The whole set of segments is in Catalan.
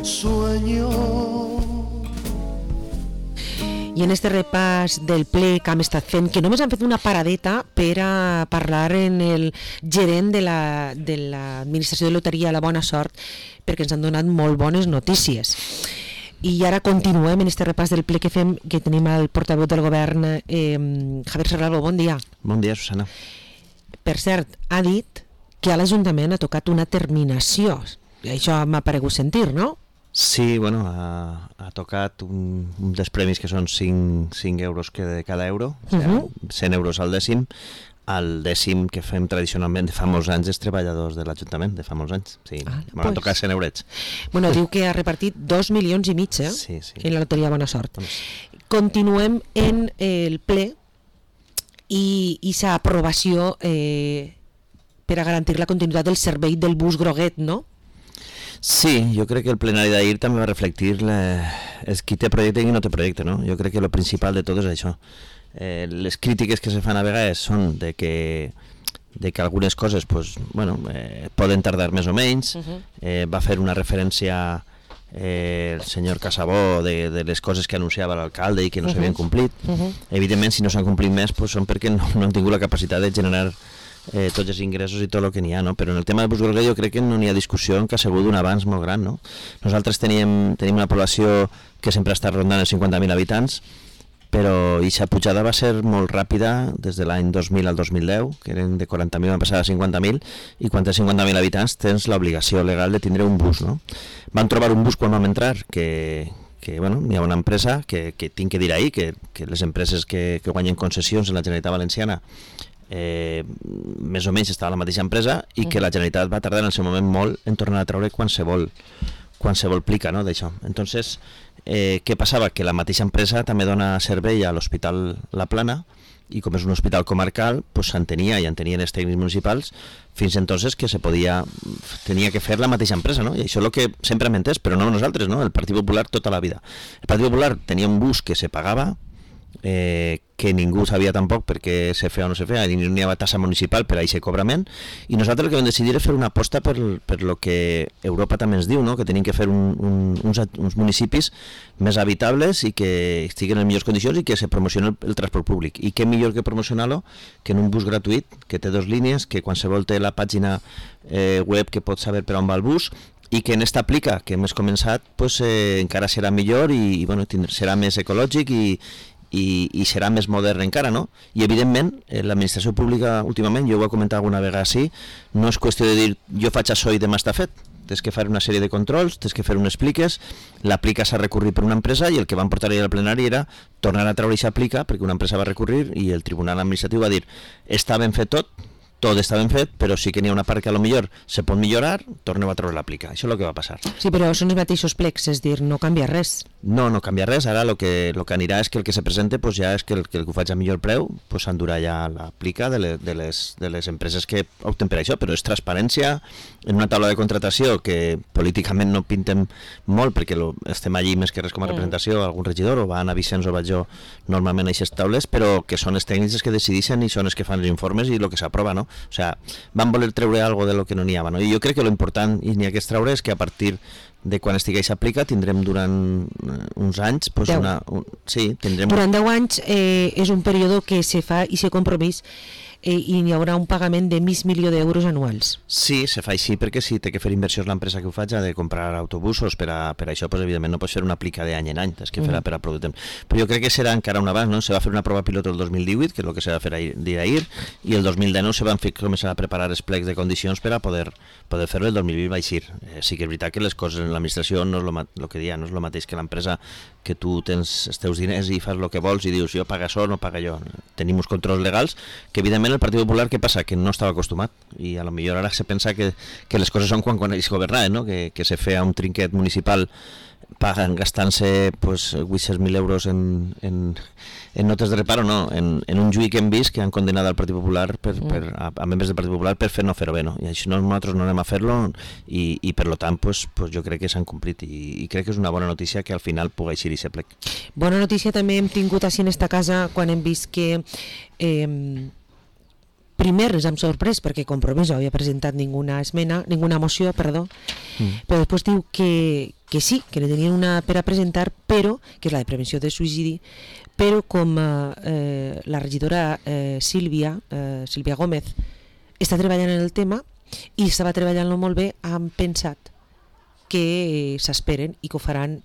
sueño. I en este repàs del ple que hem estat fent, que només han fet una paradeta per a parlar en el gerent de l'administració de loteria La Bona Sort, perquè ens han donat molt bones notícies. I ara continuem en este repàs del ple que fem, que tenim el portaveu del govern, Javier Serralvo. Bon dia. Bon dia, Susana. Per cert, ha dit que a l'Ajuntament ha tocat una terminació. Això m'ha paregut sentir, no? Sí, bueno, ha tocat un dels premis que són 5 euros de cada euro, o sigui, 100 euros al dècim. El dècim que fem tradicionalment de fa molts anys és treballadors de l'Ajuntament, de fa molts anys. Sí, m'han tocat 100 eurets. Bueno, diu que ha repartit 2,5 milions sí. En la loteria Bona Sort. Continuem en el ple i sa aprovació per a garantir la continuïtat del servei del bus groguet, no? Sí, jo crec que el plenari d'ahir també va reflectir qui té projecte i qui no té projecte, no? Jo crec que el principal de tot és això. Les crítiques que se fan a vegades són de que algunes coses poden tardar més o menys. Va fer una referència el senyor Casabó de les coses que anunciava l'alcalde i que no s'havien complit. Evidentment, si no s'han complit més són perquè no han tingut la capacitat de generar tots els ingressos i tot el que n'hi ha, no? Però en el tema del bus groguet jo crec que no n'hi ha discussió, que ha sigut un avanç molt gran, no? Nosaltres tenim una població que sempre ha estat rondant els 50.000 habitants, però aquesta pujada va ser molt ràpida des de l'any 2000 al 2010, que eren de 40.000 van passar a 50.000, i quan tens 50.000 habitants tens l'obligació legal de tindre un bus, no? Van trobar un bus quan vam entrar que hi ha una empresa que tinc que dir ahir que les empreses que guanyen concessions en la Generalitat Valenciana més o menys estava la mateixa empresa i que la Generalitat va tardar en el seu moment molt en tornar a treure qualsevol plica, no, d'això. Entonces, què passava? Que la mateixa empresa també dona servei a l'Hospital La Plana i com és un hospital comarcal, s'entenia i entenien els tècnics municipals fins entonces que tenia que fer la mateixa empresa, no? I això és el que sempre hem entès, però no nosaltres, no? El Partit Popular tota la vida. El Partit Popular tenia un bus que se pagava, que ningú sabia tampoc perquè se feia o no se feia, ni hi havia tassa municipal per a aquest cobrament, i nosaltres el que vam decidir és fer una aposta per lo que Europa també ens diu, no? Que tenim que fer uns municipis més habitables i que estiguin en millors condicions i que se promocioni el transport públic. I què millor que promocionar-lo que en un bus gratuït, que té 2 línies, que qualsevol té la pàgina web que pot saber per on va el bus, i que en esta aplica que hem començat encara serà millor i serà més ecològic i serà més modern encara, no? I evidentment l'administració pública últimament, jo ho he comentat alguna vegada així, no és qüestió de dir jo faig això i demà està fet. Tens que fer una sèrie de controls, tens que fer unes pliques, l'aplica s'ha recorrit per una empresa i el que van portar ahir al plenari era tornar a treure aquesta aplica perquè una empresa va recurrir i el tribunal administratiu va dir està ben fet tot està ben fet, però sí que n'hi ha una part que a lo millor se pot millorar, torneu a treure l'aplica. Això és el que va passar. Sí, però són els mateixos plecs, és dir, no canvia res. No canvia res, ara el que anirà és que el que se presente ja és que el que ho faig a millor preu s'endurà ja l'aplica de les empreses que opten per això, però és transparència en una taula de contratació que políticament no pintem molt perquè estem allí més que res com a representació, algun regidor o va anar Vicenç o vaig jo normalment a aquestes taules, però que són els tècnics que decideixen i són els que fan els informes i el que s'aprova, no? O sigui, van voler treure alguna cosa de lo que no n'hi havia, no? I jo crec que l'important i n'hi ha que treure és que a partir de quan estigués aplica tindrem durant uns anys durant 10 anys és un període que se fa i se compromís i hi haurà un pagament de $500.000 anuals. Sí, se fa així perquè si té que fer inversions l'empresa que ho faig ha de comprar autobusos, per això evidentment no pots fer una aplica d'any en any, has que fer per a prou de temps. Però jo crec que serà encara un avanç, no? Se va fer una prova pilot el 2018, que és el que se va fer ahir, i el 2019 se van començar a preparar els plecs de condicions per a poder fer-ho, el 2020 va eixir. Sí que és veritat que les coses en l'administració no és el que dia, no és el mateix que l'empresa que tu tens els teus diners i fas el que vols i dius jo paga això o no paga jo. Tenim uns controls legals que evidentment el Partit Popular, què passa? Que no estava acostumat i a lo millor ara se pensa que les coses són quan ells governaven, no? Que se feia un trinquet municipal paguen gastant-se 800.000 euros en notes de reparo, no, en un juí que hem vist que han condenat al Partit Popular a membres del Partit Popular per no fer-ho bé, no? I així nosaltres no anem a fer-lo i per tant jo crec que s'han complit i crec que és una bona notícia que al final pugui eixir aquest plec. Bona notícia també hem tingut així en esta casa quan hem vist que primer ens hem sorprès perquè Compromís no havia presentat ninguna moció, però després diu que sí, que ne tenien una per a presentar, però, que és la de prevenció de suïcidi, però com la regidora Sílvia Gómez està treballant en el tema i estava treballant-lo molt bé, han pensat que s'esperen i que ho faran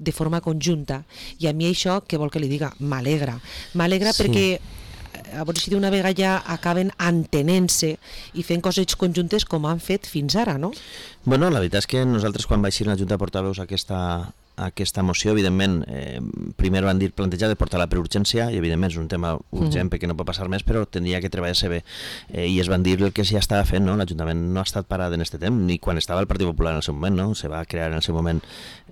de forma conjunta, i a mi això, què vol que li diga? M'alegra sí. Perquè a veure si d'una vegada ja acaben entenent-se i fent coses conjuntes com han fet fins ara, no? Bueno, la veritat és que nosaltres quan vaig ir a la Junta de Portaveus aquesta moció, evidentment, primer van dir plantejar de portar-la per urgència, i evidentment és un tema urgent perquè no pot passar més, però tindria que treballar-se bé, i es van dir el que ja estava fent, no? L'Ajuntament no ha estat parat en aquest temps, ni quan estava el Partit Popular en el seu moment, no? Se va crear en el seu moment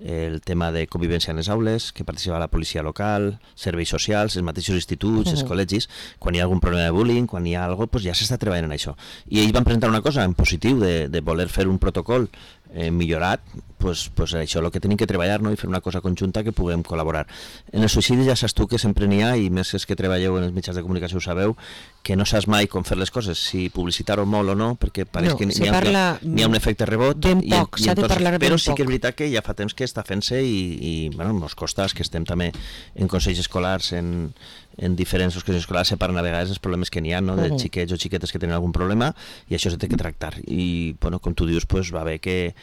el tema de convivència en les aules, que participava la policia local, serveis socials, els mateixos instituts, els col·legis. Quan hi ha algun problema de bullying, quan hi ha alguna cosa, pues ja s'està treballant en això. I ells van presentar una cosa en positiu, de voler fer un protocol millorat, pues això és el que tenim que treballar, no? I fer una cosa conjunta que puguem col·laborar. En el suïcidi ja saps tu que sempre n'hi ha, i més és que treballeu en els mitjans de comunicació ho sabeu, que no saps mai com fer les coses, si publicitar-ho molt o no, perquè pareix que n'hi ha un efecte rebot, ben poc, s'ha de parlar ben poc. Però sí que és veritat que ja fa temps que està fent-se i bueno, ens costa, que estem també en consells escolars, en diferents consells escolars, se parlen a vegades els problemes que n'hi ha, no? De xiquets o xiquetes que tenen algun problema, i això s'ha de tractar. I bueno, com tu dius, pues, va bé que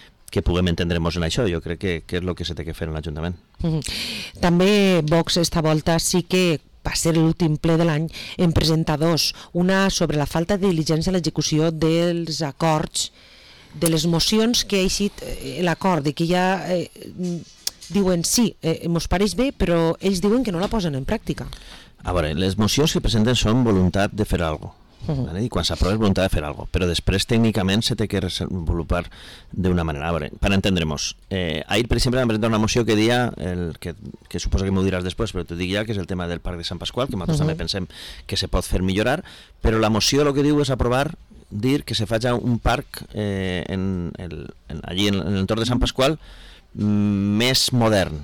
puguem entendre'ns en això. Jo crec que és el que s'ha de fer en l'Ajuntament. També Vox esta volta sí que va ser l'últim ple de l'any en presentar dos, una sobre la falta de diligència a l'execució dels acords, de les mocions que ha eixit l'acord, de que ja diuen sí, mos pareix bé, però ells diuen que no la posen en pràctica. A veure, les mocions que presenten són voluntat de fer alguna cosa. ¿vale? Y cuando se aprueba es voluntad de hacer algo, pero después técnicamente se tiene que desenvolupar de una manera. Vale, para entendremos, ahir, per exemple, vam presentar una moció que dia, que suposo que m'ho diràs després, però t'ho dic ja, que és el tema del Parc de Sant Pasqual, que nosaltres també pensem que se pot fer millorar, però la moció el que diu és aprovar, dir que se faci un parc allí en l'entorn de Sant Pasqual més modern.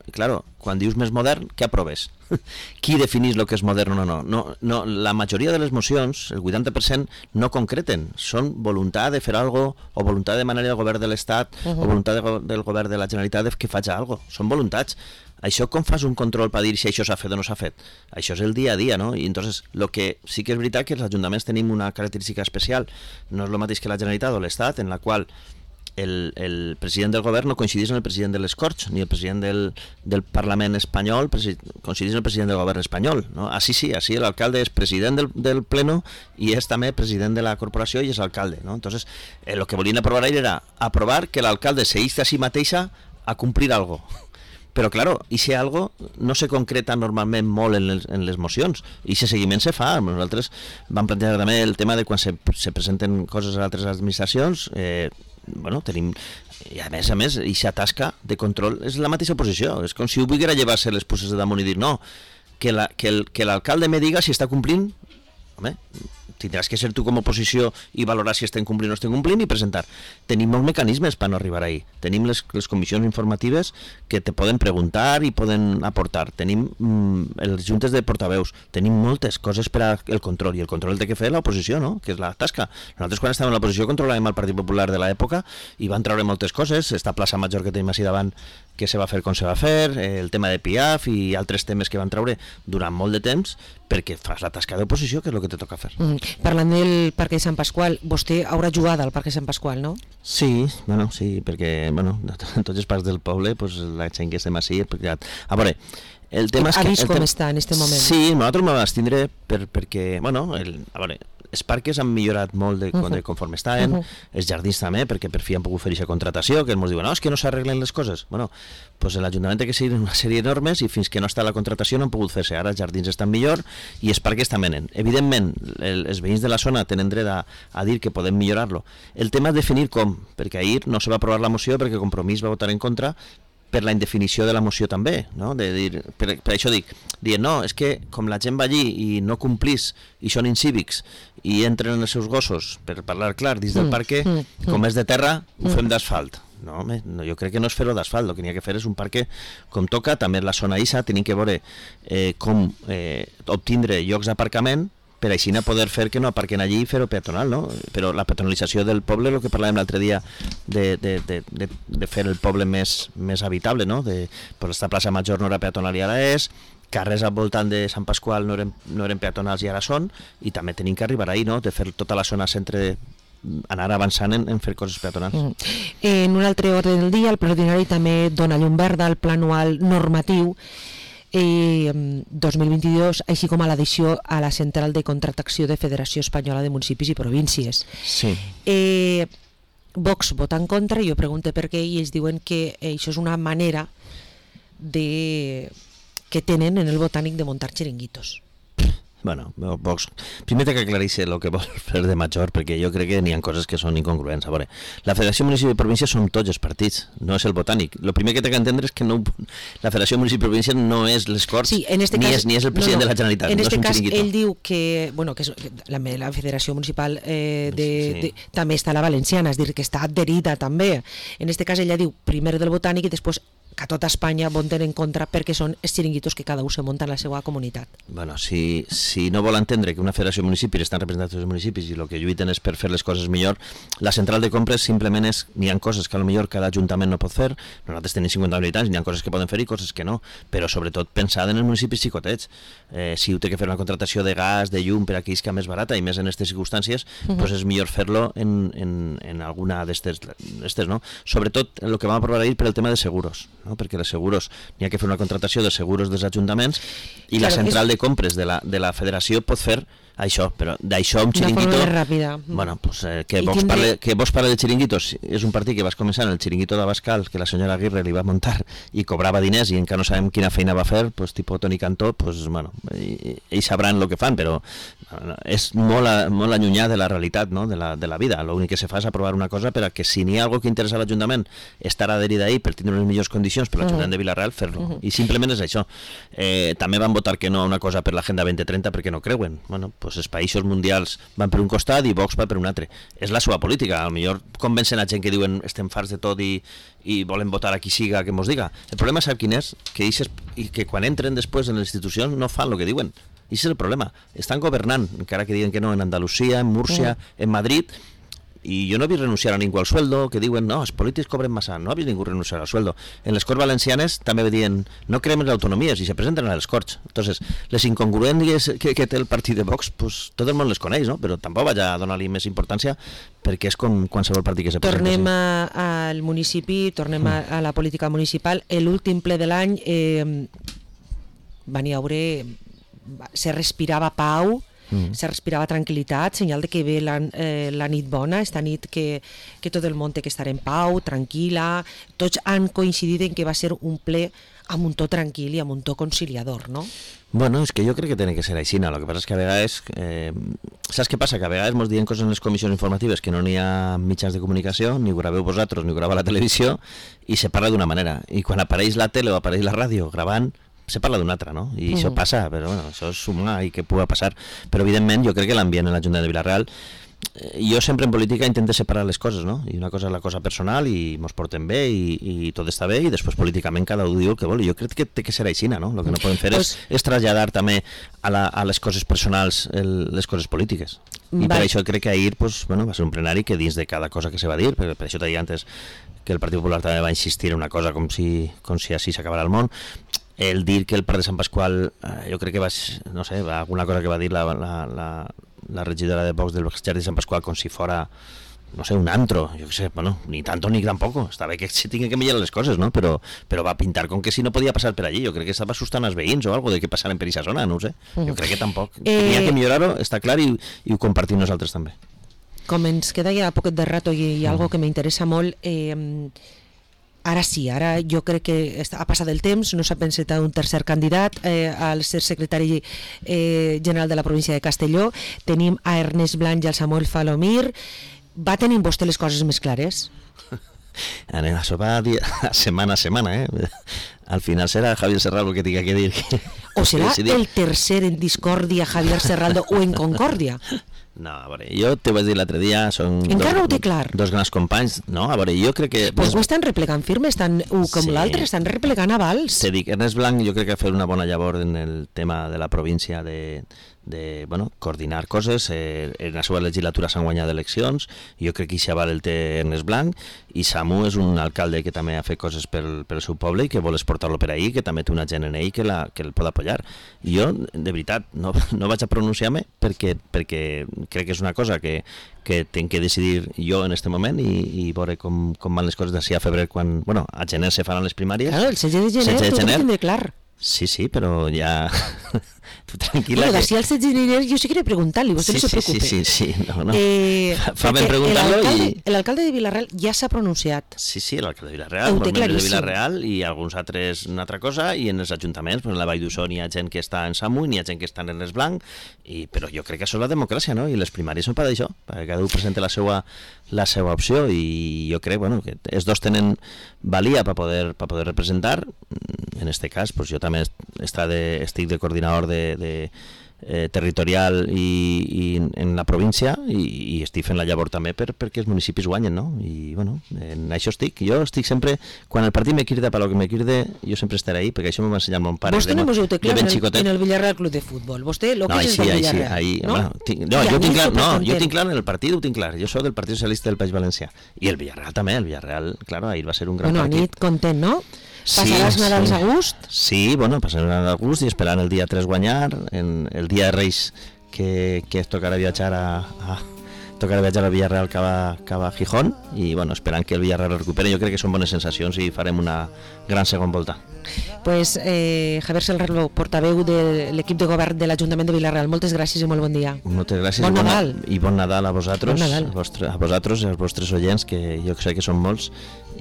I claro, quan dius més modern, què aproves? Qui definís el que és modern o no? La majoria de les mocions, el 80%, no concreten. Són voluntat de fer alguna cosa, o voluntat de demanar al govern de l'Estat, o voluntat del govern de la Generalitat que faci alguna cosa. Són voluntats. Això com fas un control per dir si això s'ha fet o no s'ha fet? Això és el dia a dia, no? I entonces, lo que sí que és veritat que els ajuntaments tenim una característica especial. No és el mateix que la Generalitat o l'Estat, en la qual el president del govern no coincideix amb el president de les Corts, ni el president del Parlament espanyol coincideix amb el president del govern espanyol, no? Així sí, així l'alcalde és president del pleno i és també president de la corporació i és alcalde, no? Entonces, el que volien aprovar ahir era aprovar que l'alcalde se insta a si mateixa a complir algo. Però, claro, i si algo no se concreta normalment molt en les mocions, i si seguiment se fa. Nosaltres vam plantejar també el tema de quan se presenten coses a altres administracions, tenim, i a més, i s'atasca de control, és la mateixa oposició, és com si ho volguera llevar-se les puces de damunt i dir no, que l'alcalde me diga si està complint. Home, tindràs que ser tu com a oposició i valorar si estem complint o no estem complint i presentar. Tenim molts mecanismes per no arribar ahí. Tenim les comissions informatives que te poden preguntar i poden aportar. Tenim els juntes de portaveus. Tenim moltes coses per al control, i el control el té que fer l'oposició, no? Que és la tasca. Nosaltres quan estàvem a l'oposició controlàvem el Partit Popular de l'època i van treure moltes coses. Esta plaça major que tenim així davant, que se va fer com se va fer, el tema de PIAF i altres temes que van treure durant molt de temps, perquè fas la tasca d'oposició, que és el que te toca fer. Parlant del Parc de Sant Pasqual, vostè haurà jugat al Parc de Sant Pasqual, no? Sí, sí, perquè en tots els parcs del poble, la gent que estem així, a veure, el tema és que... Ha vist com està en aquest moment? Sí, nosaltres m'ho abstindré perquè, a veure, els parcs han millorat molt de conforme estaven, els jardins també, perquè per fi han pogut fer aquesta contratació, que ens diuen, no, és que no s'arreglen les coses. Doncs l'Ajuntament té que seguir una sèrie de normes i fins que no està la contratació no han pogut fer-se. Ara els jardins estan millor i els parcs també nen. Evidentment, els veïns de la zona tenen dret a dir que podem millorar-lo. El tema és definir com, perquè ahir no se va aprovar la moció perquè Compromís va votar en contra per la indefinició de la moció també, no? De dir, per això dient, no, és que com la gent va allí i no complís i són incívics i entren els seus gossos, per parlar clar, dins del parc, com és de terra, ho fem d'asfalt. No, jo crec que no és fer-ho d'asfalt, el que n'hi ha que fer és un parc com toca, també la zona ISA, tenim que veure com obtindre llocs d'aparcament per així poder fer que no aparquen allí i fer-ho peatonal, no? Però la peatonalització del poble, el que parlàvem l'altre dia de fer el poble més habitable, no? Pues esta plaça Major no era peatonal i ara és, carrers al voltant de Sant Pasqual no eren peatonals i ara són, i també tenim que arribar ahí, no? De fer tota la zona centre, anar avançant en fer coses peatonals. En un altre ordre del dia, el ple ordinari també dona llum verda al pla anual normatiu 2022, així com a l'addició a la central de contractació de Federació Espanyola de Municipis i Províncies. Sí. Vox vota en contra, jo pregunto per què, i ells diuen que això és una manera que tenen en el Botànic de muntar xiringuitos. Bueno, Vox, primer té que aclarir-se el que vol fer de major, perquè jo crec que n'hi ha coses que són incongruents. A veure, la Federació Municipal i Província són tots els partits, no és el Botànic. El primer que té que entendre és que no, la Federació Municipal i Província no és les Corts, sí, ni és el president de la Generalitat. En aquest cas, ell diu que, bueno, que la Federació Municipal també està a la Valenciana, és dir, que està adherida també. En aquest cas, ella diu primer del Botànic i després que a tota Espanya voten en contra perquè són els xiringuitos que cada un se munta en la seva comunitat. Bueno, si no vol entendre que una federació de municipis estan representats els municipis i el que lluiten és per fer les coses millor, la central de compres simplement és, n'hi ha coses que potser cada ajuntament no pot fer, nosaltres tenim 50 habitants, n'hi ha coses que poden fer i coses que no, però sobretot pensada en els municipis xicotets. Si té que fer una contratació de gas, de llum per aquí que més barata i més en aquestes circumstàncies, doncs és millor fer-lo en alguna d'aquestes, no? Sobretot el que vam aprovar ahir per el tema de seguros, no? Perquè els seguros, n'hi ha que fer una contratació de seguros dels ajuntaments i la central de compres de la federació pot fer això, però d'això un xiringuito... Bueno, pues, que Vox parle de xiringuitos, és un partit que vas començar en el xiringuito d'Abascal, que la senyora Aguirre li va muntar i cobrava diners i encara no sabem quina feina va fer, pues, tipus Toni Cantó, pues, bueno, ells sabran el que fan, però és molt allunyat de la realitat, no? de la vida. L'únic que se fa és aprovar una cosa per a que si n'hi ha algo que interessa a l'Ajuntament estar adherit ahir per tindre les millors condicions per l'Ajuntament de Vila-real, fer-lo. I simplement és això. També van votar que no a una cosa per l'Agenda 2030 perquè no creuen. Bueno, pues els països mundials van per un costat i Vox va per un altre. És la seva política. A lo millor convencen a gent que diuen estem farts de tot i volen votar a qui siga que mos diga. El problema sap quin és? Que quan entren després en les institucions no fan el que diuen. I és el problema. Estan governant, encara que diuen que no, en Andalusia, en Múrcia, en Madrid, i jo no he vist renunciar a ningú al sueldo, que diuen, no, els polítics cobren massa, no he vist ningú renunciar al sueldo. En les Corts Valencianes també diuen, no creem en l'autonomia, si se presenten a les Corts. Entonces, les incongruències que té el partit de Vox, pues, tot el món les coneix, no? Però tampoc vaig a donar-li més importància perquè és com qualsevol partit que se presenta. Tornem al municipi, tornem a la política municipal. L'últim ple de l'any van hi haure... se respirava pau, se respirava tranquil·litat, senyal de que ve la nit bona, esta nit que tot el món té que estar en pau, tranquil·la. Tots han coincidit en que va ser un ple amb un to tranquil i amb un to conciliador, no? Bueno, és que jo crec que té que ser així. El que passa és que a vegades... saps què passa? Que a vegades ens diuen coses en les comissions informatives que no n'hi ha mitjans de comunicació, ni ho graveu vosaltres, ni ho grava la televisió, i se parla d'una manera. I quan apareix la tele o apareix la ràdio gravant, se parla d'una altra, no? I això passa, però bueno, això és humà i que pugui passar. Però evidentment jo crec que l'ambient en l'Ajuntament de Vila-real, jo sempre en política intento separar les coses, no? I una cosa és la cosa personal i mos portem bé i tot està bé i després políticament cada un diu el que vol. I jo crec que té que ser així, no? El que no podem fer és traslladar també a les coses personals les coses polítiques. I per això crec que ahir va ser un plenari que dins de cada cosa que se va dir, per això t'he dit antes que el Partit Popular també va insistir en una cosa com si així s'acabarà el món. El dir que el Parc de Sant Pasqual, jo crec que va alguna cosa que va dir la regidora de Vox del Jardí de Sant Pasqual com si fora, no sé, un antro, jo què sé, bueno, ni tanto ni tampoco, està bé que se tinguin que millorar les coses, no? Però va pintar com que si no podia passar per allí, jo crec que estava assustant els veïns o algo de que passaren per aquesta zona, no ho sé, jo crec que tampoc, tenia que millorar-ho, està clar, i ho compartim nosaltres també. Com ens queda ja poquet de rato i algo que m'interessa molt, ara sí, ara jo crec que ha passat el temps, no s'ha pensat un tercer candidat al ser secretari general de la província de Castelló. Tenim a Ernest Blanch i al Samuel Falomir. Va tenir vostè les coses més clares? Anem a sopar setmana a setmana, Al final serà Javier Serraldo que tinga que dir. O serà el tercer en discòrdia Javier Serraldo o en concòrdia? No, a veure, jo te vaig dir l'altre dia, són dos grans companys, no, a veure, jo crec que... Pues ho estan replegant firme, estan un com l'altre, estan replegant avals. Te dic, Ernest Blanch jo crec que ha fet una bona llavor en el tema de la província de coordinar coses. En la seva legislatura s'han guanyat eleccions, jo crec que això val el té Ernest Blanc, i Samu és un alcalde que també ha fet coses pel seu poble i que vol exportar-lo per ahí, que també té una gent en ell que el pot apoyar. Jo, de veritat, no vaig a pronunciar-me perquè crec que és una cosa que tenc que decidir jo en este moment i veure com van les coses d'ací a febrer, quan, a gener se faran les primàries. Claro, el 16 de gener tot ho tindré clar. Sí, però ja... Tu tranquil·la. Bueno, d'ací al 16 de gener jo sí que preguntar-li, vostè no se preocupe. Sí. No. Fa ben preguntar-lo i... L'alcalde de Vila-real ja s'ha pronunciat. Sí, l'alcalde de Vila-real, molts membres de Vila-real i alguns altres una altra cosa, i en els ajuntaments, en la Vall d'Uixó hi ha gent que està en Samu, hi ha gent que està en Ernest Blanc, però jo crec que això és la democràcia, no? I les primàries són per això, perquè cada un presenta la seva opció, i jo crec que els dos tenen valia per poder representar. En este cas, jo també estic de coordinador territorial i en la província, i estic fent la llavor també perquè els municipis guanyen, no? I en això estic. Jo estic sempre, quan el partit me crida per lo que me cride, jo sempre estaré ahí, perquè això m'ho va ensenyar mon pare. Vostè no vos ho té clar en el Villarreal Club de Futbol. Vostè lo que és el Villarreal, no? Jo tinc clar en el partit, ho tinc clar. Jo soc del Partit Socialista del País Valencià. I el Villarreal també, ahir va ser un gran partit. Nit content, no? Passaràs Nadals a gust? Sí, passaràs Nadals a gust i esperant el dia 3 guanyar, en el dia de Reis que tocarà viatjar al Villarreal cap a Gijón, i esperant que el Villarreal recuperi. Jo crec que són bones sensacions i farem una gran segona volta. Pues Javier Serralbo, portaveu de l'equip de govern de l'Ajuntament de Vila-real, moltes gràcies i molt bon dia. Moltes gràcies. Bon Nadal. I bon Nadal a vosaltres, bon Nadal. a vosaltres i als vostres oients, que jo sé que són molts,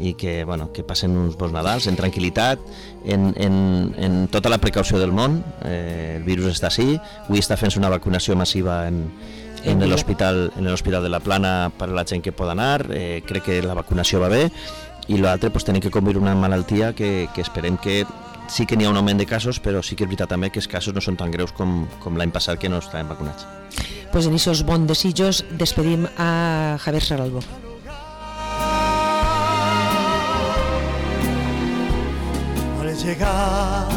i que passen uns bons Nadals en tranquil·litat, en tota la precaució del món. El virus està així, avui està fent una vacunació massiva en l'hospital de la Plana per a la gent que pot anar. Crec que la vacunació va bé, i l'altre tenim que conviure una malaltia que esperem que sí que n'hi ha un augment de casos, però sí que és veritat també que els casos no són tan greus com l'any passat, que no estàvem vacunats. Pues en aquests bons desitjos despedim a Javier Serralbo.